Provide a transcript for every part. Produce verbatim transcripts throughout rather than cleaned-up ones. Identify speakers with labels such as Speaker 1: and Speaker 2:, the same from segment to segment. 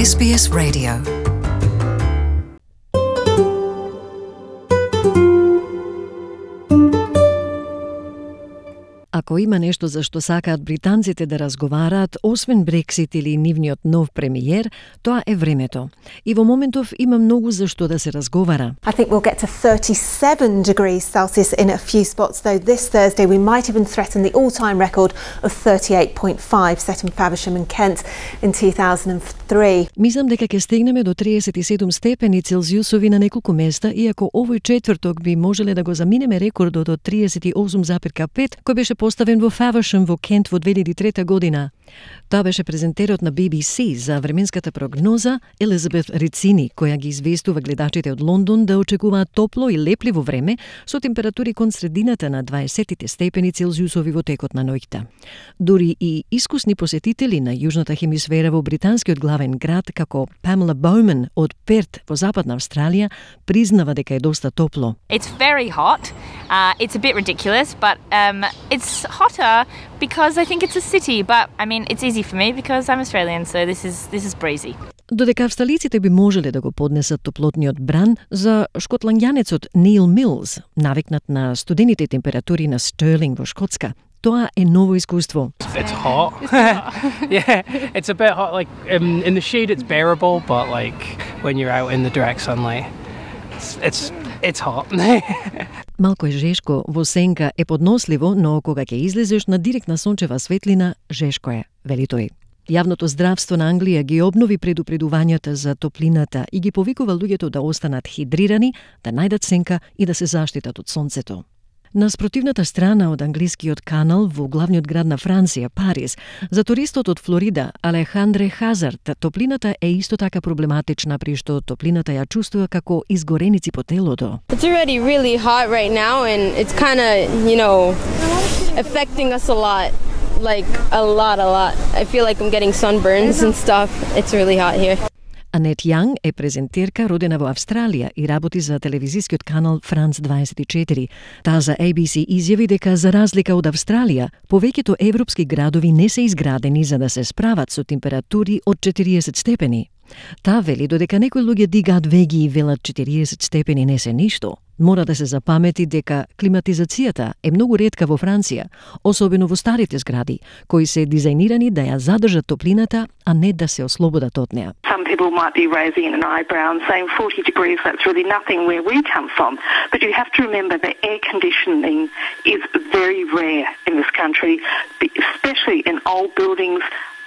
Speaker 1: Ес Би Ес Radio. Ако има нешто за што сакаат британците да разговараат, освен Брексит или нивниот нов премиер, тоа е времето. И во моментов има многу за што да се разговара.
Speaker 2: I think we'll get to thirty-seven degrees Celsius in a few spots, though this Thursday we might even threaten the all-time record of thirty-eight point five set in Faversham and Kent in two thousand three.
Speaker 1: Мислам дека ќе стигнеме до триесет и седум степени Целзиусови на неколку места, иако овој четврток би можеле да го заминеме рекордот од триесет и осум запирка пет, кој беше поставен во Faversham во Кент во две илјади и трета година. Тоа беше презентерот на Би Би Си за временската прогноза Елизабет Рицини, која ги известува гледачите од Лондон да очекуваат топло и лепливо време со температури кон средината на дваесет степени Целзиусови во текот на ноќта. Дури и искусни посетители на јужната хемисфера во британскиот главен град, како Памела Боуман од Перт во Западна Австралија, признава дека е доста топло.
Speaker 3: It's very hot. Uh, it's a bit ridiculous, but um, it's hotter because I think it's a city. But I mean, it's easy for me because I'm Australian, so this is this is breezy.
Speaker 1: Додека австралиците би можеле да го поднесат топлотниот бран, за шкотланѓанецот Неил Милс, навикнат на студените температури на Стерлинг во Шкотска, тоа е ново искуство.
Speaker 4: It's hot. Yeah, it's a bit hot. Like um, in the shade, it's bearable, but like when you're out in the direct sunlight, it's it's, it's hot.
Speaker 1: Малку е жешко, во сенка е подносливо, но кога ќе излезеш на директна сончева светлина, жешко е, вели тој. Јавното здравство на Англија ги обнови предупредувањата за топлината и ги повикува луѓето да останат хидрирани, да најдат сенка и да се заштитат од сонцето. На спротивната страна од англискиот канал во главниот град на Франција, Париз, за туристот од Флорида, Алехандре Хазард, топлината е исто така проблематична, при што топлината ја чувствува како изгореници по телото.
Speaker 5: It's already really hot right now and it's kind of, you know, affecting us a lot. Like a lot, a lot. I feel like I'm getting sunburns and stuff. It's really hot here.
Speaker 1: Анет Јанг е презентерка родена во Австралија и работи за телевизискиот канал Франц дваесет и четири. Таа за Ей Би Си изјави дека за разлика од Австралија, повеќето европски градови не се изградени за да се справат со температури од четириесет степени. Таа вели додека некои луѓе дигаат веги и велат четириесет степени не се ништо, мора да се запамети дека климатизацијата е многу ретка во Франција, особено во старите згради, кои се дизајнирани да ја задржат топлината, а не да се ослободат од неа.
Speaker 6: Some people might be raising an eyebrow and saying forty degrees, that's really nothing where we come from. But you have to remember that air conditioning is very rare in this country, especially in old buildings.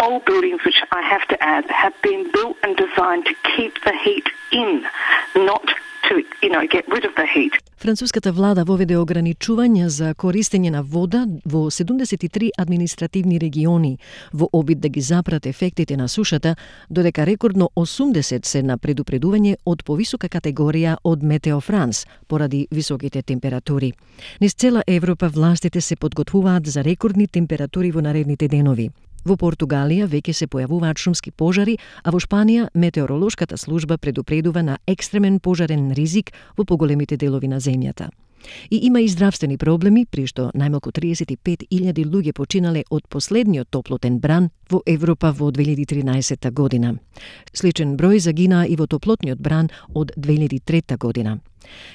Speaker 6: Old buildings, which I have to add, have been built and designed to keep the heat in, not to, you know, get rid of the heat.
Speaker 1: Француската влада воведе ограничувања за користење на вода во седумдесет и три административни региони во обид да ги запрат ефектите на сушата, додека рекордно осумдесет се на предупредување од повисока категорија од Метео Франс поради високите температури. Низ цела Европа властите се подготвуваат за рекордни температури во наредните денови. Во Португалија веќе се појавуваат шумски пожари, а во Шпанија метеоролошката служба предупредува на екстремен пожарен ризик во поголемите делови на земјата. И има и здравствени проблеми, при што најмалку триесет и пет илјади луѓе починале од последниот топлотен бран во Европа во две илјади и тринаесетта година. Сличен број загинаа и во топлотниот бран од две илјади и трета година.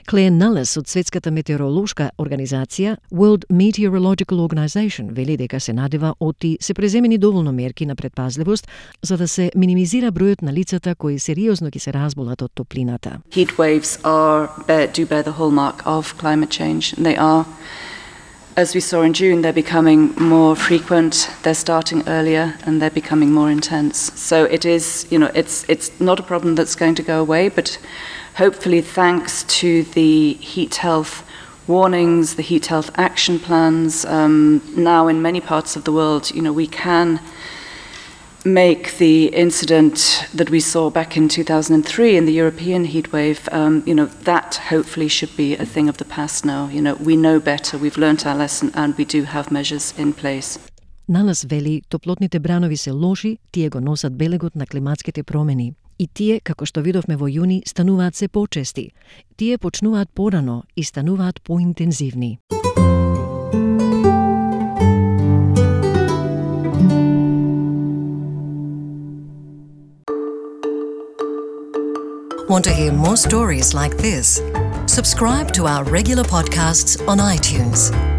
Speaker 1: Клеен Налес од Светската метеоролошка организација World Meteorological Organization вели дека се надева оти се преземени доволно мерки на предпазливост за да се минимизира бројот на лицата кои сериозно ќе се разболат од топлината.
Speaker 7: Heat waves are bear, do bear the hallmark of climate change. They are, as we saw in June, they're becoming more frequent, they're starting earlier, and they're becoming more intense. So it is, you know, it's it's not a problem that's going to go away, but hopefully thanks to the heat health warnings, the heat health action plans, um, now in many parts of the world, you know, we can make the incident that we saw back in two thousand three in the European heatwave, um, you know, that hopefully should be a thing of the past now. You know, we know better, we've learnt our lesson, and we do have measures in place.
Speaker 1: Налес вели, топлотните бранови се лоши, тие го носат белегот на климатските промени. И тие, како што видовме во јуни, стануваат се почести. Тие почнуваат порано и стануваат поинтензивни.
Speaker 8: Want to hear more stories like this? Subscribe to our regular podcasts on iTunes.